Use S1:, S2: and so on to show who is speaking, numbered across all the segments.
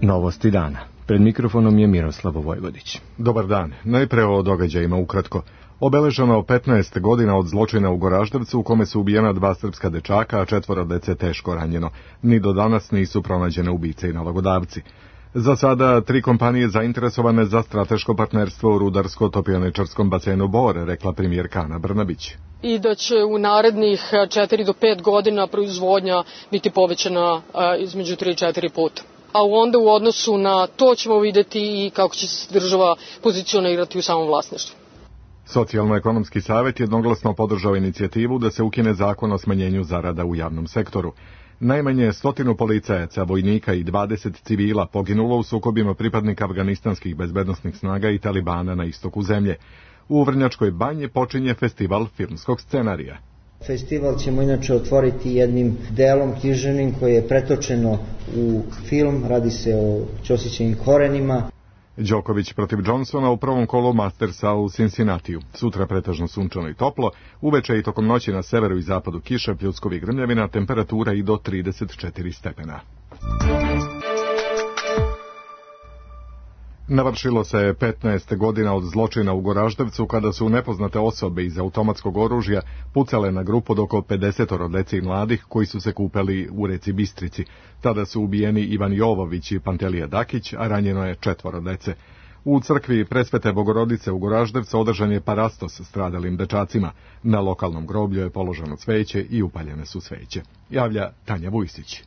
S1: Novosti dana. Pred mikrofonom je Miroslav Vojvodić.
S2: Dobar dan. Najpre o događajima ukratko. Obeleženo 15 godina od zločina u Goraždevcu u kome su ubijena 2 srpska dečaka, a 4 dece teško ranjeno. Ni do danas nisu pronađene ubice i nalogodavci. Za sada 3 kompanije zainteresovane za strateško partnerstvo u rudarsko-topioničarskom basenu Bor, rekla premijerka Ana Brnabić.
S3: I da će u narednih 4 do 5 godina proizvodnja biti povećana između 3 i 4 puta. A onda u odnosu na to ćemo vidjeti i kako će se država pozicionirati u samom vlasništvu.
S2: Socijalno-ekonomski savjet jednoglasno podržao inicijativu da se ukine zakon o smanjenju zarada u javnom sektoru. Najmanje 100 policajaca, vojnika i 20 civila poginulo u sukobima pripadnika afganistanskih bezbednosnih snaga i talibana na istoku zemlje. U Vrnjačkoj banji počinje festival filmskog scenarija.
S4: Festival ćemo inače otvoriti jednim delom književnim koje je pretočeno u film, radi se o Ćosićevim korenima.
S2: Đoković protiv Johnsona u prvom kolu Mastersa u Cincinnatiju. Sutra pretežno sunčano i toplo, uveče i tokom noći na severu i zapadu kiša, pljuskovi i grmljavina, temperatura i do 34 stepena. Navršilo se 15 godina od zločina u Goraždevcu kada su nepoznate osobe iz automatskog oružja pucale na grupu od oko 50 dece i mladih koji su se kupali u reci Bistrici. Tada su ubijeni Ivan Jovović i Pantelija Dakić, a ranjeno je 4 dece. U crkvi Presvete Bogorodice u Goraždevcu održan je parastos stradalim dečacima. Na lokalnom groblju je položeno cveće i upaljene su sveće. Javlja Tanja Vujsić.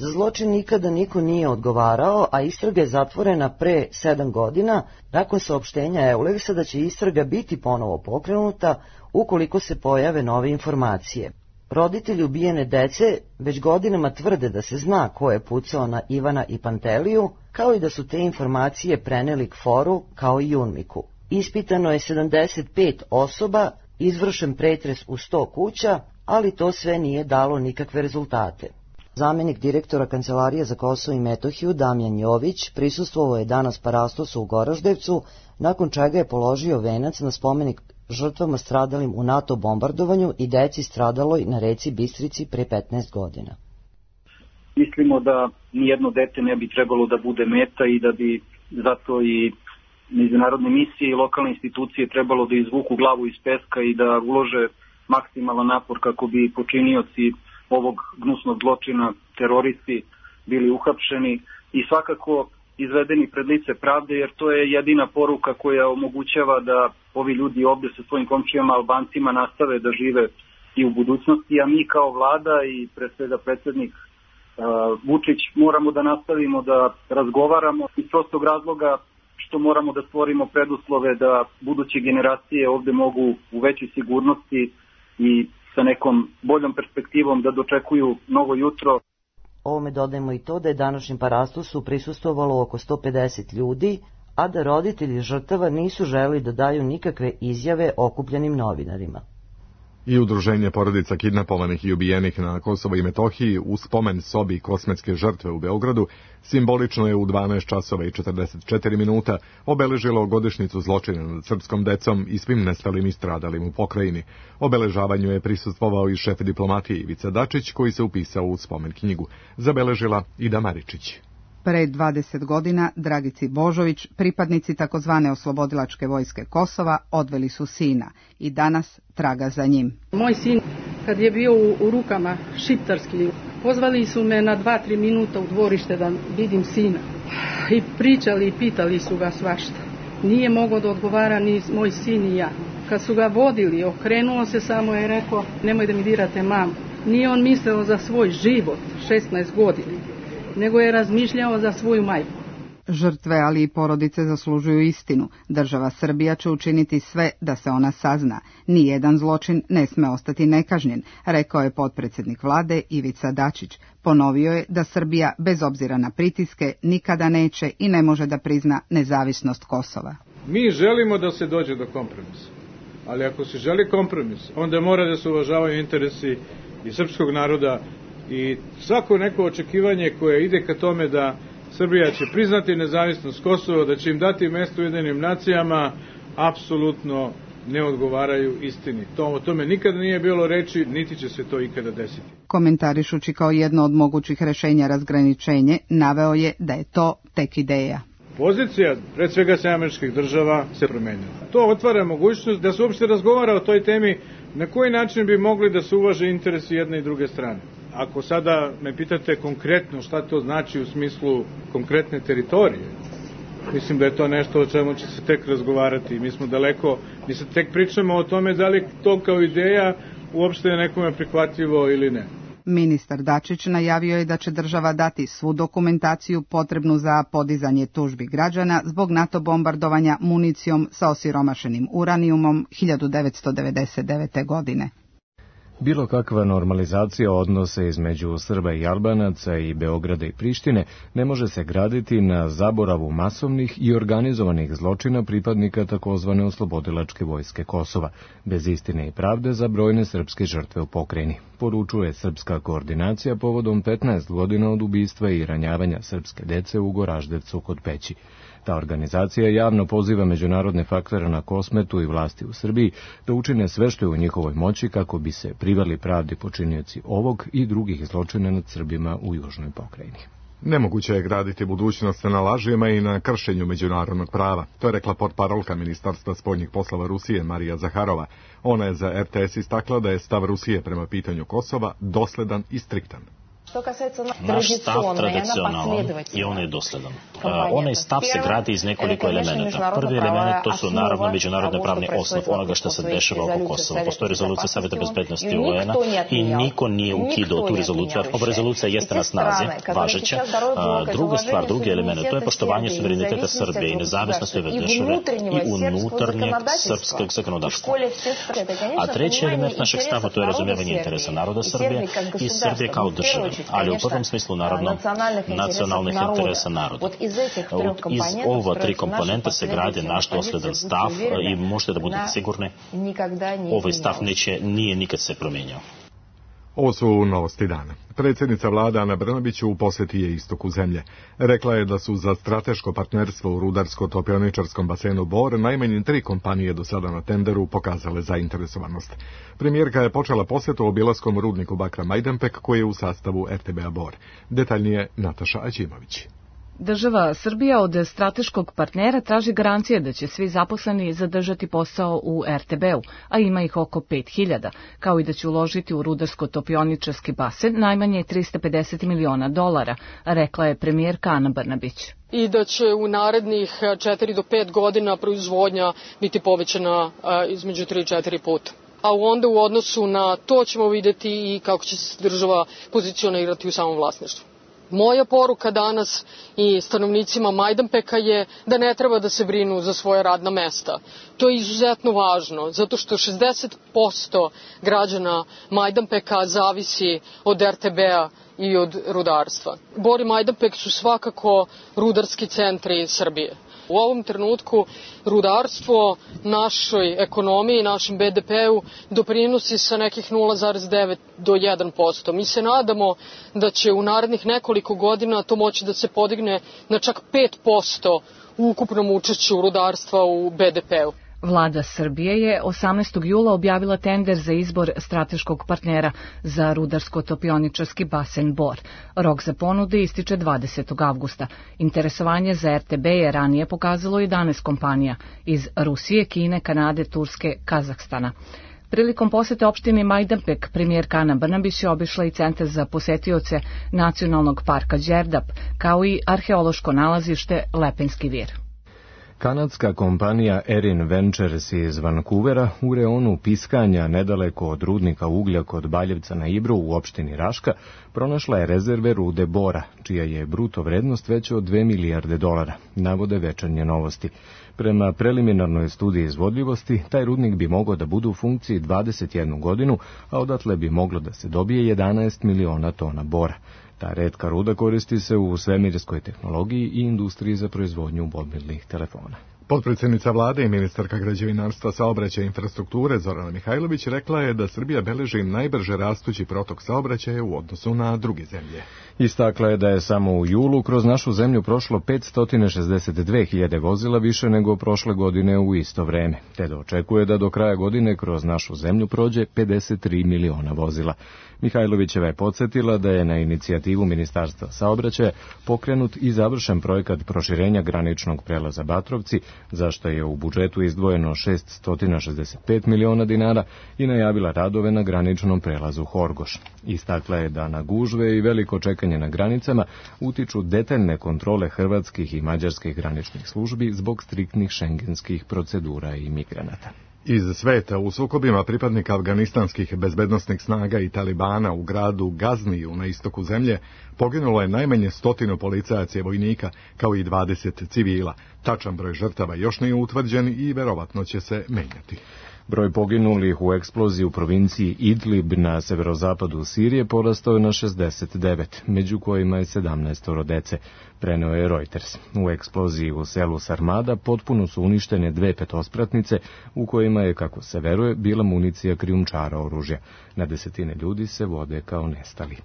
S5: Za zločin nikada niko nije odgovarao, a istraga je zatvorena pre 7 godina, nakon saopštenja Euleksa da će istraga biti ponovo pokrenuta ukoliko se pojave nove informacije. Roditelji ubijene dece već godinama tvrde da se zna ko je pucao na Ivana i Panteliju, kao i da su te informacije preneli KFOR-u kao i UNMIK-u. Ispitano je 75 osoba, izvršen pretres u 100 kuća, ali to sve nije dalo nikakve rezultate. Zamenik direktora Kancelarije za Kosovo i Metohiju Damjan Jović prisustvovao je danas parastosu u Goraždevcu, nakon čega je položio venac na spomenik žrtvama stradalim u NATO bombardovanju i deci stradaloj na reci Bistrici pre 15 godina.
S6: Mislimo da nijedno dete ne bi trebalo da bude meta i da bi zato i međunarodne misije i lokalne institucije trebalo da izvuku glavu iz peska i da ulože maksimalan napor kako bi počinioci ovog gnusnog zločina, teroristi, bili uhapšeni i svakako izvedeni pred lice pravde, jer to je jedina poruka koja omogućava da ovi ljudi ovdje sa svojim komšijama Albancima nastave da žive i u budućnosti, a mi kao vlada i pre svega predsjednik Vučić moramo da nastavimo da razgovaramo iz prostog razloga što moramo da stvorimo preduslove da buduće generacije ovdje mogu u većoj sigurnosti i sa nekom boljom perspektivom da dočekuju novo jutro.
S5: Ovome dodajemo i to da je današnjem parastosu prisustvovalo oko 150 ljudi, a da roditelji žrtava nisu želeli da daju nikakve izjave okupljenim novinarima.
S2: I udruženje porodica kidnapovanih i ubijenih na Kosovo i Metohiji u spomen sobi kosmetske žrtve u Beogradu simbolično je u 12 časova i 44 minuta obeležilo godišnjicu zločina nad srpskom decom i svim nestalim i stradalim u pokrajini. Obeležavanju je prisustvovao i šef diplomatije Ivica Dačić, koji se upisao u spomen knjigu. Zabeležila Ida Maričić.
S7: Pre 20 godina Dragici Božović, pripadnici takozvane oslobodilačke vojske Kosova, odveli su sina i danas traga za njim.
S8: Moj sin, kad je bio u rukama šiptarski, pozvali su me na 2-3 minuta u dvorište da vidim sina. I pričali i pitali su ga svašta. Nije mogao da odgovara ni moj sin ni ja. Kad su ga vodili, okrenuo se samo i rekao, nemoj da mi dirate mamu. Nije on mislio za svoj život, 16 godina. Nego je razmišljao za svoju majku.
S7: Žrtve, ali i porodice zaslužuju istinu. Država Srbija će učiniti sve da se ona sazna. Nijedan zločin ne sme ostati nekažnjen, rekao je potpredsjednik vlade Ivica Dačić. Ponovio je da Srbija, bez obzira na pritiske, nikada neće i ne može da prizna nezavisnost Kosova.
S9: Mi želimo da se dođe do kompromisa, ali ako se želi kompromis, onda mora da se uvažavaju interesi i srpskog naroda i svako neko očekivanje koje ide ka tome da Srbija će priznati nezavisnost Kosova, da će im dati mesto u Ujedinjenim nacijama, apsolutno ne odgovaraju istini. O tome nikada nije bilo reči, niti će se to ikada desiti.
S7: Komentarišući kao jedno od mogućih rešenja razgraničenje, naveo je da je to tek ideja.
S9: Pozicija, pred svega Američkih država, se promenila. To otvara mogućnost da se uopšte razgovara o toj temi na koji način bi mogli da se uvaže interesi jedne i druge strane. Ako sada me pitate konkretno šta to znači u smislu konkretne teritorije, mislim da je to nešto o čemu će se tek razgovarati. Mi smo daleko, mi se tek pričamo o tome da li to kao ideja uopšte je nekome prihvatljivo ili ne.
S7: Ministar Dačić najavio je da će država dati svu dokumentaciju potrebnu za podizanje tužbi građana zbog NATO bombardovanja municijom sa osiromašenim uranijumom 1999. godine.
S1: Bilo kakva normalizacija odnosa između Srba i Albanaca i Beograda i Prištine ne može se graditi na zaboravu masovnih i organizovanih zločina pripadnika takozvane oslobodilačke vojske Kosova, bez istine i pravde za brojne srpske žrtve u pokrajini, poručuje Srpska koordinacija povodom 15 godina od ubistva i ranjavanja srpske dece u Goraždevcu kod Peći. Ta organizacija javno poziva međunarodne faktore na Kosmetu i vlasti u Srbiji da učine sve što je u njihovoj moći kako bi se priveli pravdi počinioci ovog i drugih zločina nad Srbima u južnoj pokrajini.
S2: Nemoguće je graditi budućnost na lažima i na kršenju međunarodnog prava. To je rekla portparolka Ministarstva spoljnih poslova Rusije Marija Zaharova. Ona je za RTS istakla da je stav Rusije prema pitanju Kosova dosledan i striktan.
S10: Naš stav tradicionalan i on je dosledan. Onaj stav se gradi iz nekoliko elemenata. Prvi element to su naravno međunarodne pravni osnov onoga što se dešava oko Kosova. Postoji rezolucija Saveta bezbednosti UN-a i niko nije ukidao tu rezoluciju. Ova rezolucija jeste na snazi, važeća. Druga stvar, drugi element, to je poštovanje suvereniteta Srbije i nezavisnosti ove države i unutarnjeg srpskog zakonodavstva. A treći element našeg stava to je razumijevanje interesa naroda Srbije i Srbije kao države. Ali u prvom smislu, naravno, nacionalnih interesa naroda. Iz ova tri komponenta se gradi naš dosledan stav i možete da budete sigurni, ovaj stav nije nikad se promijenio.
S2: Ovo su novosti dana. Predsjednica vlade Ana Brnabić u posjeti je istoku zemlje. Rekla je da su za strateško partnerstvo u rudarsko-topioničarskom basenu Bor najmanje 3 kompanije do sada na tenderu pokazale zainteresovanost. Premijerka je počela posjetu obilaskom rudniku bakra Majdanpek koji je u sastavu RTB-a Bor. Detaljnije Nataša Aćimović.
S11: Država Srbija od strateškog partnera traži garancije da će svi zaposleni zadržati posao u RTB-u, a ima ih oko 5000, kao i da će uložiti u rudarsko-topioničarski basen najmanje $350 miliona, rekla je premijerka Ana Brnabić.
S3: I da će u narednih 4 do 5 godina proizvodnja biti povećana između 3 i 4 puta. A onda u odnosu na to ćemo videti i kako će se država pozicionirati u samom vlasništvu. Moja poruka danas i stanovnicima Majdanpeka je da ne treba da se brinu za svoje radna mesta. To je izuzetno važno, zato što 60% građana Majdanpeka zavisi od RTB-a i od rudarstva. Bor i Majdanpek su svakako rudarski centri Srbije. U ovom trenutku rudarstvo našoj ekonomiji, našem BDP-u doprinosi sa nekih 0,9 do 1%. Mi se nadamo da će u narednih nekoliko godina to moći da se podigne na čak 5% u ukupnom učešću rudarstva u BDP-u.
S11: Vlada Srbije je 18. jula objavila tender za izbor strateškog partnera za rudarsko-topioničarski basen Bor. Rok za ponude ističe 20. avgusta. Interesovanje za RTB je ranije pokazalo 11 kompanija iz Rusije, Kine, Kanade, Turske, Kazahstana. Prilikom posete opštini Majdanpek, premijerka Ana Brnabić je obišla i centar za posetioce Nacionalnog parka Đerdap, kao i arheološko nalazište Lepenski vir.
S1: Kanadska kompanija Erin Ventures iz Vancouvera u reonu Piskanja, nedaleko od rudnika uglja kod Baljevca na Ibru u opštini Raška, pronašla je rezerve rude bora, čija je bruto vrednost veća od $2 milijarde, navode Večernje novosti. Prema preliminarnoj studiji izvodljivosti, taj rudnik bi mogao da bude u funkciji 21 godinu, a odatle bi moglo da se dobije 11 miliona tona bora. Ta retka ruda koristi se u svemirskoj tehnologiji i industriji za proizvodnju mobilnih telefona.
S2: Potpredsjednica vlade i ministarka građevinarstva, saobraćaja i infrastrukture Zorana Mihajlović rekla je da Srbija beleži najbrže rastući protok saobraćaja u odnosu na druge zemlje.
S1: Istakla je da je samo u julu kroz našu zemlju prošlo 562.000 vozila više nego prošle godine u isto vreme, te da očekuje da do kraja godine kroz našu zemlju prođe 53 miliona vozila. Mihajlovićeva je podsjetila da je na inicijativu Ministarstva saobraćaja pokrenut i završen projekat proširenja graničnog prelaza Batrovci, za što je u budžetu izdvojeno 665 miliona dinara i najavila radove na graničnom prelazu Horgoš. Istakla je da na gužve i veliko čekanje na granicama utiču detaljne kontrole hrvatskih i mađarskih graničnih službi zbog striktnih šengenskih procedura i migranata.
S2: Iz sveta u sukobima pripadnika afganistanskih bezbednosnih snaga i Talibana u gradu Gazniju na istoku zemlje poginulo je najmanje 100 policajaca i vojnika, kao i 20 civila. Tačan broj žrtava još nije utvrđen i verovatno će se menjati.
S1: Broj poginulih u eksploziji u provinciji Idlib na severozapadu Sirije porastao je na 69, među kojima je 17 dece, preneo je Reuters. U eksploziji u selu Sarmada potpuno su uništene 2 petospratnice u kojima je, kako se veruje, bila municija krijumčara oružja. Na desetine ljudi se vode kao nestali.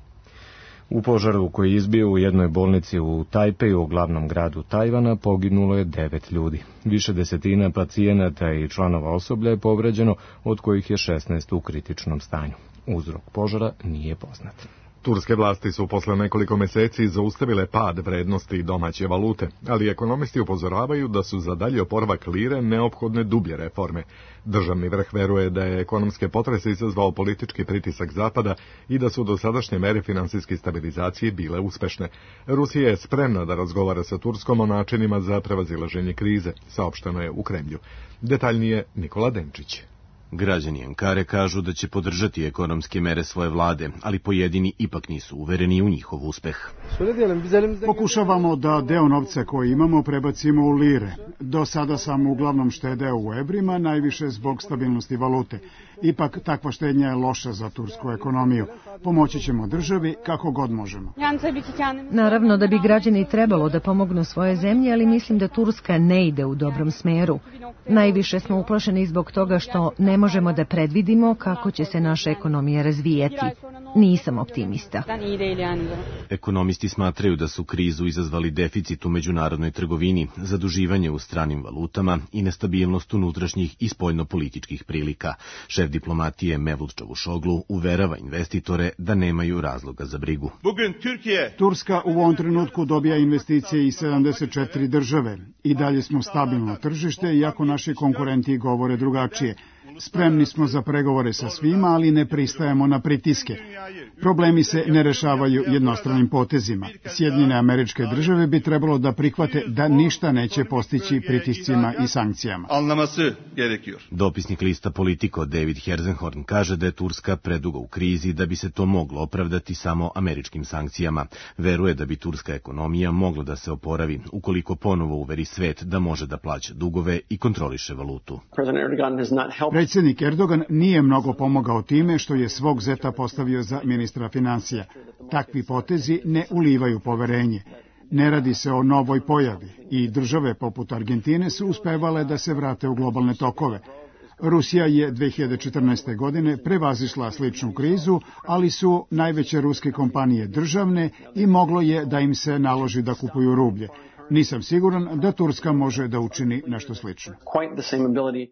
S1: U požaru koji je izbio u jednoj bolnici u Tajpeju, u glavnom gradu Tajvana, poginulo je 9 ljudi. Više desetina pacijenata i članova osoblja je povređeno, od kojih je 16 u kritičnom stanju. Uzrok požara nije poznat.
S2: Turske vlasti su posle nekoliko meseci zaustavile pad vrednosti domaće valute, ali ekonomisti upozoravaju da su za dalji oporavak lire neophodne dublje reforme. Državni vrh veruje da je ekonomske potrese izazvao politički pritisak Zapada i da su dosadašnje mere finansijske stabilizacije bile uspešne. Rusija je spremna da razgovara sa Turskom o načinima za prevazilaženje krize, saopšteno je u Kremlju. Detaljnije Nikola Denčić.
S12: Građani Ankare kažu da će podržati ekonomske mere svoje vlade, ali pojedini ipak nisu uvereni u njihov uspeh.
S13: Pokušavamo da deo novca koji imamo prebacimo u lire. Do sada sam uglavnom štedeo u evrima, najviše zbog stabilnosti valute. Ipak takva štednja je loša za tursku ekonomiju. Pomoći ćemo državi kako god možemo.
S14: Naravno da bi građani trebalo da pomognu svoje zemlje, ali mislim da Turska ne ide u dobrom smeru. Najviše smo uplašeni zbog toga što ne možemo da predvidimo kako će se naša ekonomija razvijati. Nisam optimista.
S12: Ekonomisti smatraju da su krizu izazvali deficit u međunarodnoj trgovini, zaduživanje u stranim valutama i nestabilnost unutrašnjih i spoljnopolitičkih prilika. Šef diplomatije Mevlut Čavuşoglu uverava investitore da nemaju razloga za brigu.
S13: Turska u ovom trenutku dobija investicije iz 74 države. I dalje smo stabilno tržište, iako naši konkurenti govore drugačije. Spremni smo za pregovore sa svima, ali ne pristajemo na pritiske. Problemi se ne rešavaju jednostranim potezima. Sjedinjene Američke Države bi trebalo da prihvate da ništa neće postići pritiscima i sankcijama.
S12: Dopisnik lista Politico David Herzenhorn kaže da je Turska predugo u krizi da bi se to moglo opravdati samo američkim sankcijama. Veruje da bi turska ekonomija mogla da se oporavi ukoliko ponovo uveri svet da može da plaća dugove i kontroliše valutu.
S13: Predsjednik Erdogan nije mnogo pomogao time što je svog zeta postavio za ministra finansija. Takvi potezi ne ulivaju poverenje. Ne radi se o novoj pojavi i države poput Argentine su uspevale da se vrate u globalne tokove. Rusija je 2014. godine prevazišla sličnu krizu, ali su najveće ruske kompanije državne i moglo je da im se naloži da kupuju rublje. Nisam siguran da Turska može da učini nešto slično.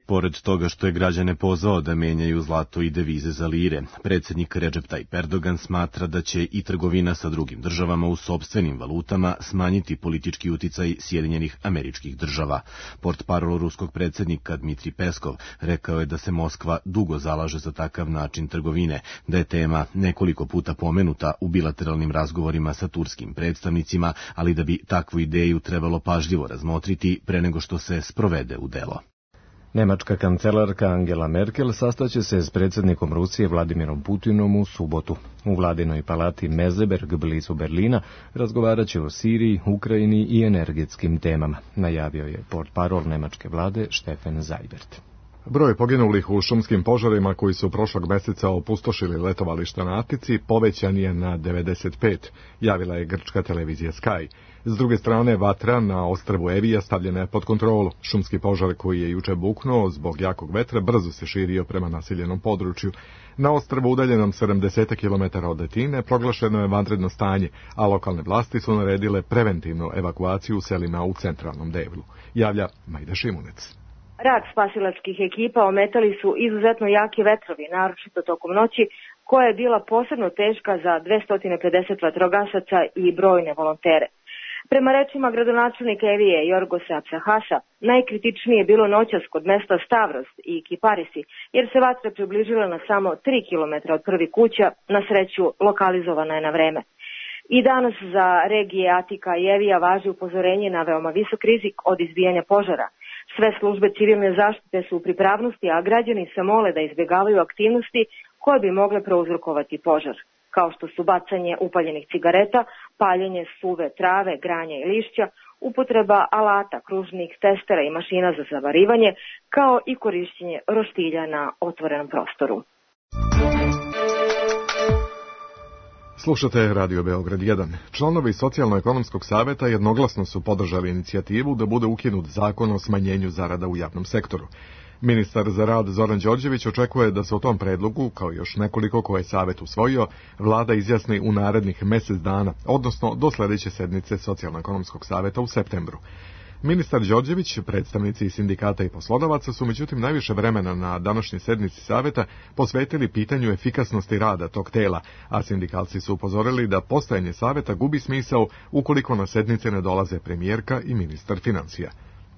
S12: Pored toga što je građane pozvao da menjaju zlato i devize za lire, predsjednik Recep Tayyip Erdogan smatra da će i trgovina sa drugim državama u sopstvenim valutama smanjiti politički uticaj Sjedinjenih Američkih Država. Portparol ruskog predsjednika Dmitrij Peskov rekao je da se Moskva dugo zalaže za takav način trgovine, da je tema nekoliko puta pomenuta u bilateralnim razgovorima sa turskim predstavnicima, ali da bi takvu ideju trebalo pažljivo razmotriti pre nego što se sprovede u delo.
S1: Nemačka kancelarka Angela Merkel sastaće se s predsjednikom Rusije Vladimirom Putinom u subotu. U vladinoj palati Meseberg blizu Berlina razgovarat će o Siriji, Ukrajini i energetskim temama, najavio je portparol nemačke vlade Steffen Seibert.
S2: Broj poginulih u šumskim požarima koji su prošlog meseca opustošili letovališta na Atici povećan je na 95, javila je grčka televizija Sky. S druge strane, vatra na ostrvu Evija stavljena je pod kontrolu. Šumski požar koji je juče buknuo zbog jakog vetra brzo se širio prema naseljenom području. Na ostrvu udaljenom 70 km od Atine proglašeno je vanredno stanje, a lokalne vlasti su naredile preventivnu evakuaciju u selima u centralnom delu. Javlja Majda Šimunec.
S15: Rad spasilačkih ekipa ometali su izuzetno jaki vetrovi, naročito tokom noći, koja je bila posebno teška za 250 vatrogasaca i brojne volontere. Prema rečima gradonačelnika Evije Jorgosa Apsahasa, najkritičnije je bilo noćas kod mesta Stavros i Kiparisi, jer se vatra približila na samo 3 km od prvi kuća, na sreću lokalizovana je na vreme. I danas za regije Atika i Evija važi upozorenje na veoma visok rizik od izbijanja požara. Sve službe civilne zaštite su u pripravnosti, a građani se mole da izbjegavaju aktivnosti koje bi mogle prouzrokovati požar, kao što su bacanje upaljenih cigareta, paljenje suve trave, granja i lišća, upotreba alata, kružnih testera i mašina za zavarivanje, kao i korišćenje roštilja na otvorenom prostoru.
S2: Slušate Radio Beograd 1. Članovi Socijalno-ekonomskog saveta jednoglasno su podržali inicijativu da bude ukinut zakon o smanjenju zarada u javnom sektoru. Ministar za rad Zoran Đorđević očekuje da se o tom predlogu, kao još nekoliko koje je savet usvojio, vlada izjasni u narednih mesec dana, odnosno do sledeće sednice Socijalno-ekonomskog saveta u septembru. Ministar Đorđević, predstavnici sindikata i poslodavaca su međutim najviše vremena na današnjoj sednici saveta posvetili pitanju efikasnosti rada tog tela, a sindikalci su upozorili da postojanje saveta gubi smisao ukoliko na sednice ne dolaze premijerka i ministar finansija.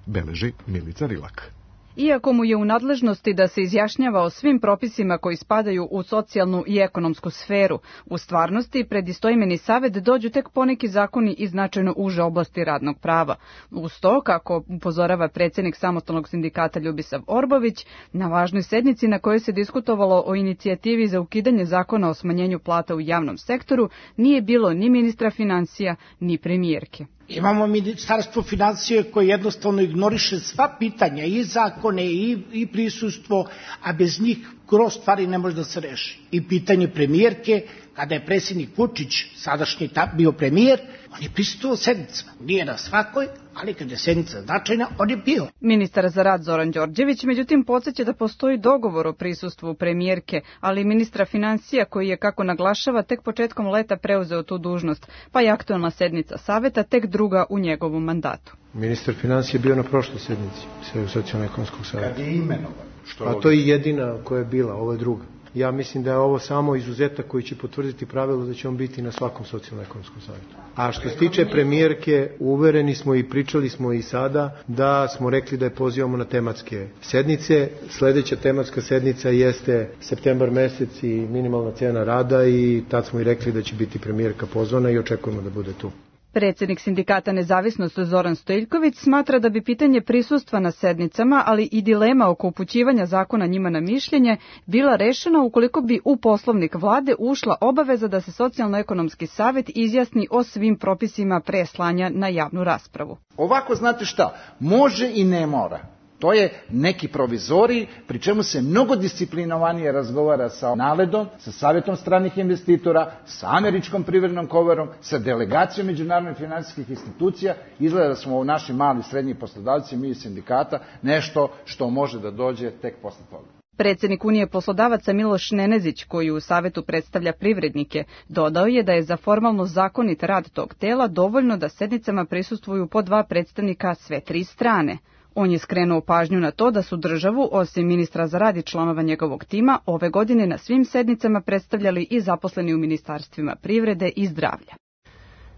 S2: Beleži Milica Rilak.
S16: Iako mu je u nadležnosti da se izjašnjava o svim propisima koji spadaju u socijalnu i ekonomsku sferu, u stvarnosti pred istoimeni savet dođu tek poneki zakoni iz značajno uže oblasti radnog prava. Uz to, kako upozorava predsjednik samostalnog sindikata Ljubisav Orbović, na važnoj sednici na kojoj se diskutovalo o inicijativi za ukidanje zakona o smanjenju plata u javnom sektoru, nije bilo ni ministra financija, ni premijerke.
S17: Imamo ministarstvo financije koje jednostavno ignoriše sva pitanja, i zakone, i prisustvo, a bez njih gro stvari ne može da se reši. I pitanje premijerke, kada je predsjednik Vučić, sadašnji bio premijer, on je prisustvovao sednicama. Nije na svakoj, ali kada je sednica značajna, on je bio.
S16: Ministar za rad Zoran Đorđević, međutim, podsjeća da postoji dogovor o prisustvu premijerke, ali i ministra financija koji je, kako naglašava, tek početkom leta preuzeo tu dužnost, pa je aktualna sednica saveta tek druga u njegovom mandatu.
S18: Ministar financija je bio na prošloj sednici Socijalno-ekonomskog saveta.
S17: Kad je imenovan?
S18: A to je jedina koja je bila, ovo je druga. Ja mislim da je ovo samo izuzetak koji će potvrditi pravilo da će on biti na svakom socijalno-ekonomskom savjetu. A što se tiče premijerke, uvereni smo i pričali smo i sada da smo rekli da je pozivamo na tematske sednice. Sledeća tematska sednica jeste septembar mesec i minimalna cena rada i tad smo i rekli da će biti premijerka pozvana i očekujemo da bude tu.
S16: Predsjednik sindikata Nezavisnost Zoran Stojiljković smatra da bi pitanje prisustva na sednicama, ali i dilema oko upućivanja zakona njima na mišljenje, bila rešena ukoliko bi u poslovnik vlade ušla obaveza da se Socijalno-ekonomski savjet izjasni o svim propisima pre slanja na javnu raspravu.
S17: Ovako, znate šta, može i ne mora. To je neki provizorij, pri čemu se mnogo disciplinovanije razgovara sa NALED-om, sa Savjetom stranih investitora, sa Američkom privrednom komorom, sa delegacijom međunarodnih finansijskih institucija. Izgleda da smo u naši mali srednji poslodavci, mi iz sindikata, nešto što može da dođe tek posle toga.
S16: Predsjednik Unije poslodavaca Miloš Nenezić, koji u savetu predstavlja privrednike, dodao je da je za formalno zakonit rad tog tela dovoljno da sednicama prisustvuju po 2 predstavnika sve 3 strane. On je skrenuo pažnju na to da su državu, osim ministra za rad i članova njegovog tima, ove godine na svim sednicama predstavljali i zaposleni u ministarstvima privrede i zdravlja.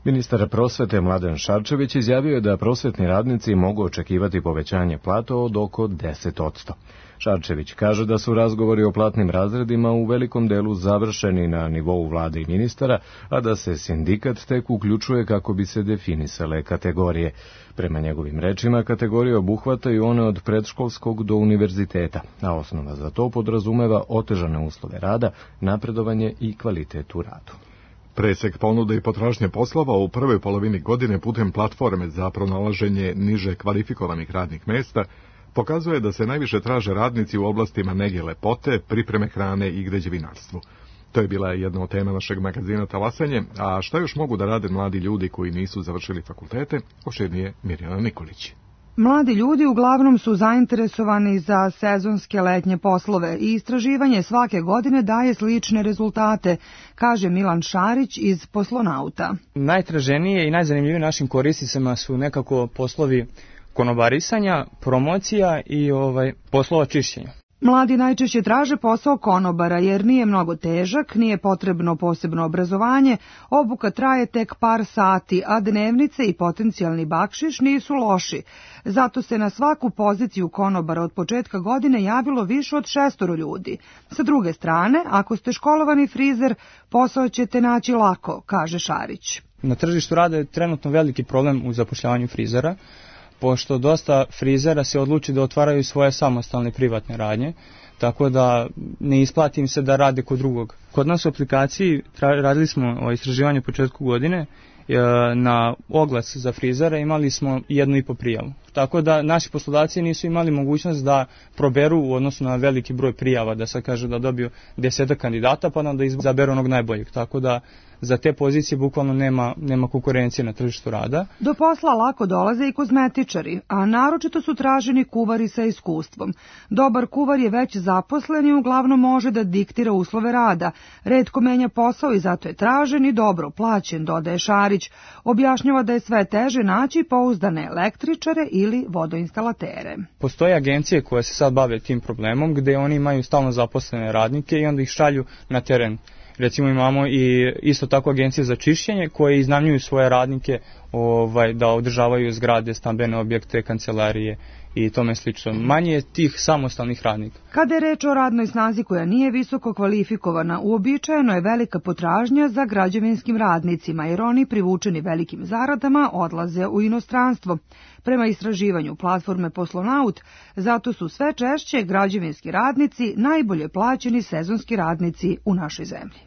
S1: Ministar prosvete Mladen Šarčević izjavio je da prosvetni radnici mogu očekivati povećanje plata od oko 10%. Šarčević kaže da su razgovori o platnim razredima u velikom delu završeni na nivou vlade i ministara, a da se sindikat tek uključuje kako bi se definisale kategorije. Prema njegovim rečima, kategorije obuhvataju one od predškolskog do univerziteta, a osnova za to podrazumeva otežane uslove rada, napredovanje i kvalitet u radu.
S2: Presek ponude i potražnje poslova u prvoj polovini godine putem platforme za pronalaženje niže kvalifikovanih radnih mesta pokazuje da se najviše traže radnici u oblastima nege lepote, pripreme hrane i građevinarstvu. To je bila jedna od tema našeg magazina Talasanje, a šta još mogu da rade mladi ljudi koji nisu završili fakultete, opširnije Mirjana Nikolić.
S19: Mladi ljudi uglavnom su zainteresovani za sezonske letnje poslove i istraživanje svake godine daje slične rezultate, kaže Milan Šarić iz Poslonauta.
S20: Najtraženije i najzanimljivije našim korisnicima su nekako poslovi konobarisanja, promocija i poslova čišćenja.
S19: Mladi najčešće traže posao konobara jer nije mnogo težak, nije potrebno posebno obrazovanje, obuka traje tek par sati, a dnevnice i potencijalni bakšiš nisu loši. Zato se na svaku poziciju konobara od početka godine javilo više od 600 ljudi. Sa druge strane, ako ste školovani frizer, posao ćete naći lako, kaže Šarić.
S20: Na tržištu rada je trenutno veliki problem u zapošljavanju frizera, pošto dosta frizera se odluči da otvaraju svoje samostalne privatne radnje, tako da ne isplati im se da rade kod drugog. Kod nas u aplikaciji radili smo istraživanje početku godine, na oglas za frizera imali smo 1,5 prijavu. Tako da naši poslodavci nisu imali mogućnost da proberu u odnosu na veliki broj prijava, da sad kaže da dobiju 10 kandidata pa da izaberu onog najboljeg. Tako da za te pozicije bukvalno nema konkurencije na tržištu rada.
S19: Do posla lako dolaze i kozmetičari, a naročito su traženi kuvari sa iskustvom. Dobar kuvar je već zaposlen i uglavnom može da diktira uslove rada. Retko menja posao i zato je tražen i dobro plaćen, dodaje Šarić. Objašnjava da je sve teže naći pouzdane električare ili vodoinstalatere.
S20: Postoje agencije koje se sad bave tim problemom gde oni imaju stalno zaposlene radnike i onda ih šalju na teren. Recimo imamo i isto tako agencije za čišćenje koje iznajmljuju svoje radnike da održavaju zgrade, stambene objekte, kancelarije i tome slično. Manje je tih samostalnih radnika.
S19: Kada je reč o radnoj snazi koja nije visoko kvalifikovana, uobičajeno je velika potražnja za građevinskim radnicima, jer oni privučeni velikim zaradama odlaze u inostranstvo. Prema istraživanju platforme Poslonaut, zato su sve češće građevinski radnici najbolje plaćeni sezonski radnici u našoj zemlji.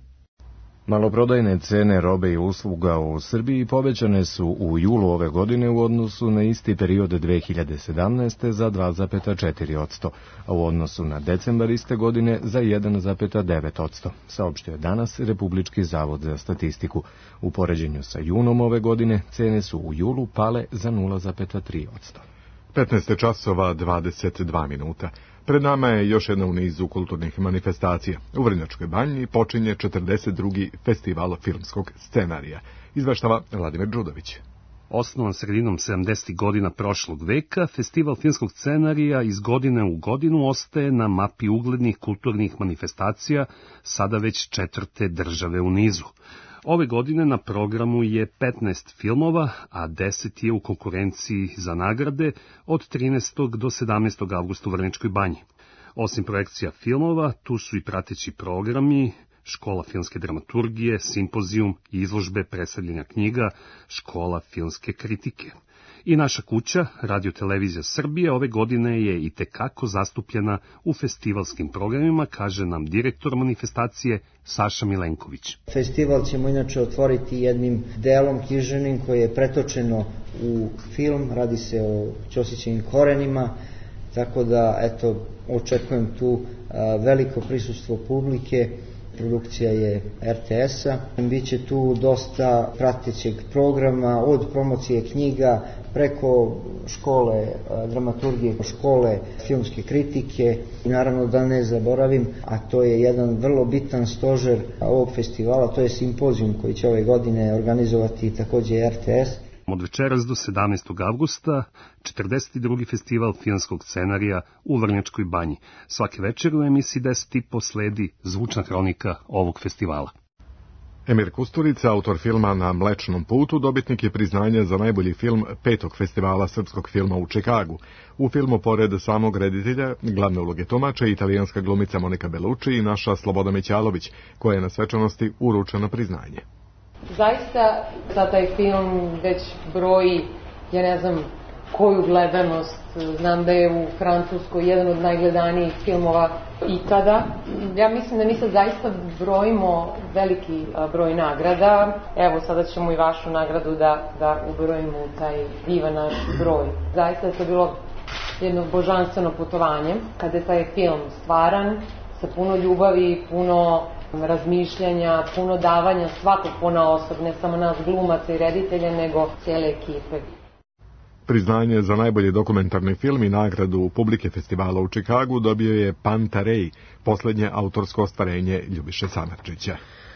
S1: Maloprodajne cene robe i usluga u Srbiji povećane su u julu ove godine u odnosu na isti period 2017. za 2,4%, a u odnosu na decembar iste godine za 1,9%, saopštio je danas Republički zavod za statistiku. U poređenju sa junom ove godine cene su u julu pale za 0,3%.
S2: 15 časova 22 minuta. Pred nama je još jedna u nizu kulturnih manifestacija. U Vrnjačkoj banji počinje 42. festival filmskog scenarija. Izveštava Vladimir Đudović.
S21: Osnovan sredinom 70. godina prošlog veka, festival filmskog scenarija iz godine u godinu ostaje na mapi uglednih kulturnih manifestacija, sada već 4. države u nizu. Ove godine na programu je 15 filmova, a 10 je u konkurenciji za nagrade od 13. do 17. avgusta u Vrnjačkoj banji. Osim projekcija filmova, tu su i prateći programi, škola filmske dramaturgije, simpozijum, izložbe, predstavljanja knjiga, škola filmske kritike. I naša kuća, Radio-televizija Srbije, ove godine je i tekako zastupljena u festivalskim programima, kaže nam direktor manifestacije Saša Milenković.
S4: Festival ćemo inače otvoriti jednim delom književnim koje je pretočeno u film, radi se o Ćosićevim korenima, tako da očekujem tu veliko prisustvo publike. Produkcija je RTS-a. Biće tu dosta pratećeg programa, od promocije knjiga preko škole dramaturgije, škole filmske kritike. I naravno da ne zaboravim, a to je jedan vrlo bitan stožer ovog festivala, to je simpozijum koji će ove godine organizovati takođe RTS.
S21: Od večeras do 17. avgusta 42. festival filmskog scenarija u Vrnjačkoj banji. Svake večer u emisiji 10:30 sledi zvučna hronika ovog festivala.
S2: Emir Kusturica, autor filma Na Mlečnom putu, dobitnik je priznanja za najbolji film 5. festivala srpskog filma u Čikagu. U filmu, pored samog reditelja, glavne uloge tumača italijanska glumica Monika Bellucci i naša Sloboda Mićalović, koja je na svečanosti uručena priznanje.
S22: Zaista taj film već broji, ja ne znam koju gledanost, znam da je u Francuskoj jedan od najgledanijih filmova ikada. Ja mislim da mi sad zaista brojimo veliki broj nagrada. Evo, sada ćemo i vašu nagradu da ubrojimo u taj divan naš broj. Zaista je to bilo jedno božanstveno putovanje. Kada je taj film stvaran, sa puno ljubavi, puno razmišljanja, puno davanja svakog ponaosob, ne samo nas glumaca i reditelja, nego cijele ekipe.
S2: Priznanje za najbolji dokumentarni film i nagradu publike festivala u Čikagu dobio je Pantarej, poslednje autorsko ostvarenje Ljubiše Samardžića.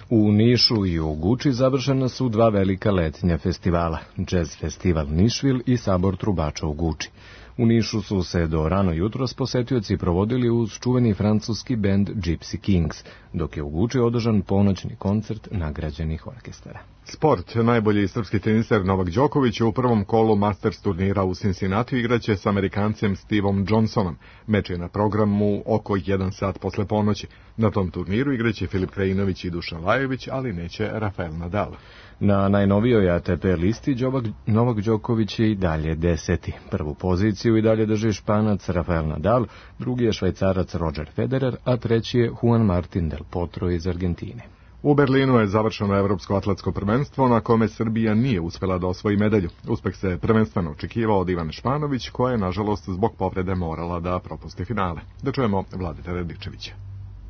S1: U Nišu i u Guči završena su 2 velika letnja festivala, Jazz festival Nišvil i Sabor trubača u Guči. U Nišu su se do rano jutros posetioci provodili uz čuveni francuski bend Gypsy Kings, dok je u Guči održan ponoćni koncert nagrađenih orkestara.
S2: Sport. Najbolji srpski teniser Novak Đoković u prvom kolu Masters turnira u Cincinnati igraće s Amerikancem Stevom Johnsonom. Meč je na programu oko 1 sat posle ponoći. Na tom turniru igraće Filip Krajinović i Dušan Lajović, ali neće Rafael Nadal.
S1: Na najnovijoj ATP listi Novak Đoković je i dalje 10. Prvu poziciju i dalje drži Španac Rafael Nadal, drugi je Švajcarac Roger Federer, a treći je Juan Martin del Potro iz Argentine.
S2: U Berlinu je završeno Evropsko atletsko prvenstvo na kome Srbija nije uspela da osvoji medalju. Uspeh se prvenstveno očekivao od Ivane Španović, koja je nažalost zbog povrede morala da propusti finale. Da čujemo Vladeta Radičevića.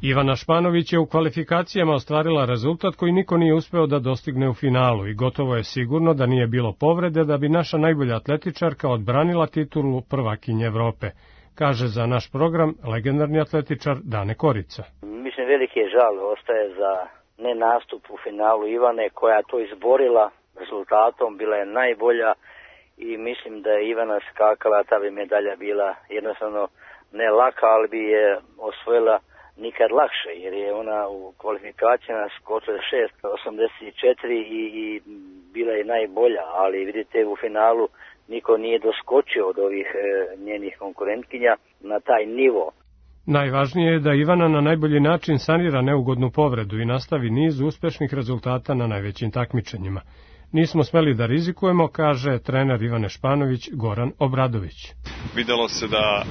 S5: Ivana Španović je u kvalifikacijama ostvarila rezultat koji niko nije uspeo da dostigne u finalu i gotovo je sigurno da nije bilo povrede da bi naša najbolja atletičarka odbranila titulu prvakinje Evrope, kaže za naš program legendarni atletičar Dane Korica.
S6: Mislim, veliki je žal ostaje za nenastup u finalu Ivane, koja je to izborila rezultatom, bila je najbolja i mislim da je Ivana skakala, ta bi medalja bila jednostavno ne laka, ali bi je osvojila nikad lakše, jer je ona u kvalifikacijama skočila 6.84 i bila je najbolja, ali vidite u finalu niko nije doskočio od ovih njenih konkurentkinja na taj nivo.
S5: Najvažnije je da Ivana na najbolji način sanira neugodnu povredu i nastavi niz uspešnih rezultata na najvećim takmičenjima. Nismo smeli da rizikujemo, kaže trener Ivane Španović Goran Obradović.
S23: Videlo se da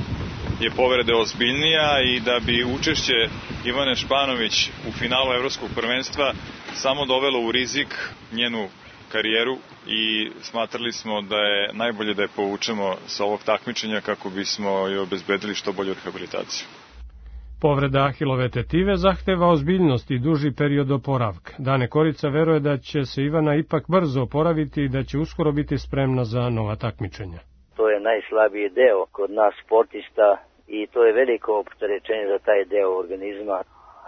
S23: je povreda ozbiljnija i da bi učešće Ivane Španović u finalu Evropskog prvenstva samo dovelo u rizik njenu karijeru i smatrali smo da je najbolje da je povučemo sa ovog takmičenja kako bismo joj obezbedili što bolju rehabilitaciju.
S5: Povreda ahilove tetive zahteva ozbiljnost i duži period oporavka. Dane Korica veruje da će se Ivana ipak brzo oporaviti i da će uskoro biti spremna za nova takmičenja.
S6: To je najslabiji deo kod nas sportista i to je veliko opterećenje za taj deo organizma,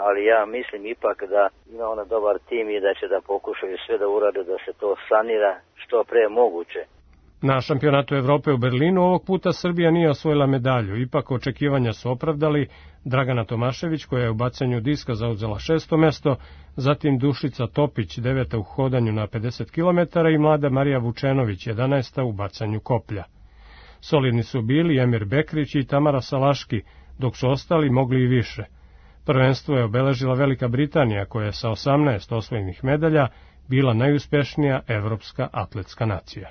S6: ali ja mislim ipak da ima ona dobar tim i da će da pokušaju sve da urade da se to sanira što pre moguće.
S5: Na šampionatu Evrope u Berlinu ovog puta Srbija nije osvojila medalju, ipak očekivanja su opravdali Dragana Tomašević, koja je u bacanju diska zauzela 6. mesto, zatim Dušica Topić 9. u hodanju na 50 km i mlada Marija Vučenović 11. u bacanju koplja. Solidni su bili Emir Bekrić i Tamara Salaški, dok su ostali mogli i više. Prvenstvo je obeležila Velika Britanija, koja je sa 18 osvojenih medalja bila najuspešnija evropska atletska nacija.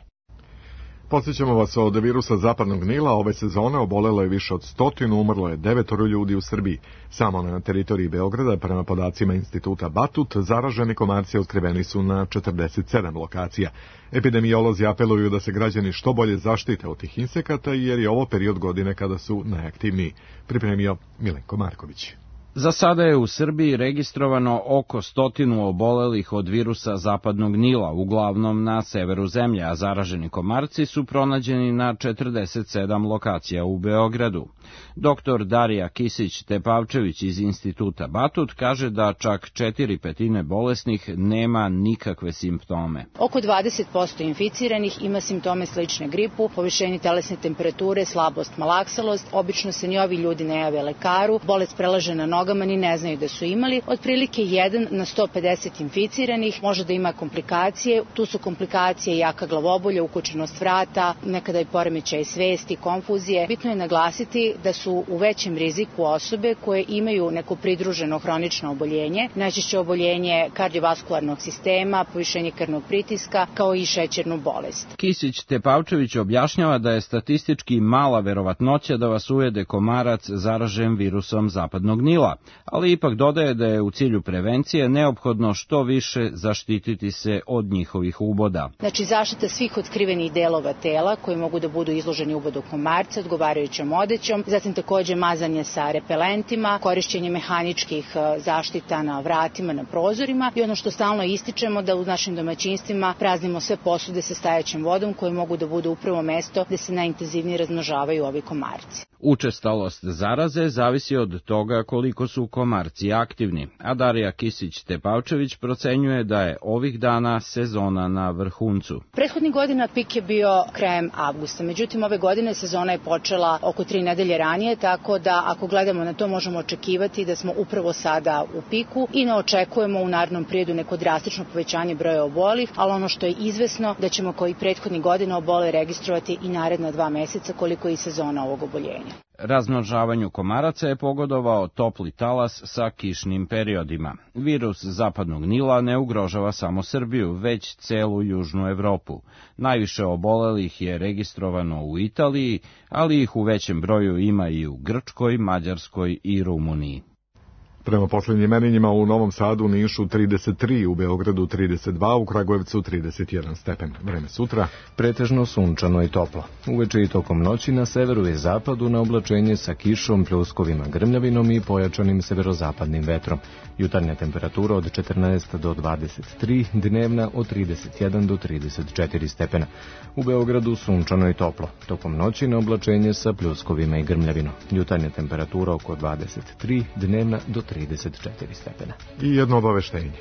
S2: Podsjećamo vas, od virusa zapadnog Nila ove sezone obolelo je više od 100, umrlo je 9 ljudi u Srbiji. Samo na teritoriji Beograda, prema podacima instituta Batut, zaraženi komarci otkriveni su na 47 lokacija. Epidemiolozi apeluju da se građani što bolje zaštite od tih insekata, jer je ovo period godine kada su najaktivniji. Pripremio Milenko Marković.
S24: Za sada je u Srbiji registrovano oko 100 obolelih od virusa zapadnog Nila, uglavnom na severu zemlje, a zaraženi komarci su pronađeni na 47 lokacija u Beogradu. Dr. Darija Kisić-Tepavčević iz instituta Batut kaže da čak 4/5 bolesnih nema nikakve simptome.
S25: Oko 20% inficiranih ima simptome slične gripu, povišenje telesne temperature, slabost, malaksalost. Obično se ni ovi ljudi ne jave lekaru, bolest prelaže na nogama, ni ne znaju da su imali. Otprilike 1 na 150 inficiranih može da ima komplikacije. Tu su komplikacije jaka glavobolja, ukučenost vrata, nekada i poremećaj svesti, konfuzije. Bitno je naglasiti da su u većem riziku osobe koje imaju neko pridruženo hronično oboljenje, najčešće oboljenje kardiovaskularnog sistema, povišenje krvnog pritiska, kao i šećernu bolest.
S24: Kisić-Tepavčević objašnjava da je statistički mala verovatnoća da vas ujede komarac zaražen virusom zapadnog Nila, Nila, ali ipak dodaje da je u cilju prevencije neophodno što više zaštititi se od njihovih uboda.
S25: Znači zaštita svih otkrivenih delova tela koji mogu da budu izloženi ubodu komarca odgovarajućom odećom, zatim takođe mazanje sa repelentima, korišćenje mehaničkih zaštita na vratima, na prozorima i ono što stalno ističemo da u našim domaćinstvima praznimo sve posude sa stajaćom vodom koje mogu da budu upravo mesto gde se najintenzivnije razmnožavaju ovi komarci.
S24: Učestalost zaraze zavisi od toga koliko su komarci aktivni, a Darija Kisić-Tepavčević procenjuje da je ovih dana sezona na vrhuncu.
S25: Prethodnih godina pik je bio krajem avgusta, međutim ove godine sezona je počela oko 3 nedelje ranije, tako da ako gledamo na to možemo očekivati da smo upravo sada u piku i ne očekujemo u narednom periodu neko drastično povećanje broja obolih, ali ono što je izvesno da ćemo kao i prethodnih godina obole registrovati i naredna 2 meseca koliko je i sezona ovog oboljenja.
S24: Razmnožavanju komaraca je pogodovao topli talas sa kišnim periodima. Virus zapadnog Nila ne ugrožava samo Srbiju, već celu južnu Evropu. Najviše obolelih je registrovano u Italiji, ali ih u većem broju ima i u Grčkoj, Mađarskoj i Rumuniji.
S2: Prema posljednjim merenjima u Novom Sadu, Nišu 33, u Beogradu 32, u Kragujevcu 31 stepen. Vreme sutra.
S1: Pretežno sunčano i toplo. Uveče i tokom noći na severu i zapadu na oblačenje sa kišom, pljuskovima, grmljavinom i pojačanim severozapadnim vetrom. Jutarnja temperatura od 14 do 23, dnevna od 31 do 34 stepena. U Beogradu sunčano i toplo. Tokom noći na oblačenje sa pljuskovima i grmljavinom. Jutarnja temperatura oko 23, dnevna do 34 stepena.
S2: I jedno obaveštenje.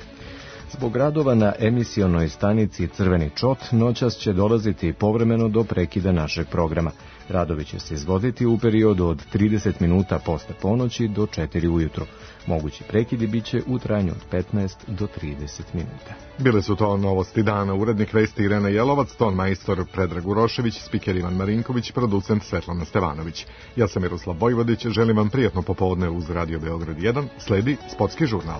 S1: Zbog radova na emisionoj stanici Crveni čot, noćas će dolaziti povremeno do prekida našeg programa. Radovi će se izvoditi u periodu od 30 minuta posle ponoći do 4 ujutro. Mogući prekidi biće u trajanju od 15 do 30 minuta.
S2: Bile su to novosti dana. Urednik vesti Irena Jelovac, ton majstor Predrag Urošević, spiker Ivan Marinković, producent Svetlana Stevanović. Ja sam Miroslav Vojvodić, želim vam prijatno popodne uz Radio Beograd 1. Sledi Sportski žurnal.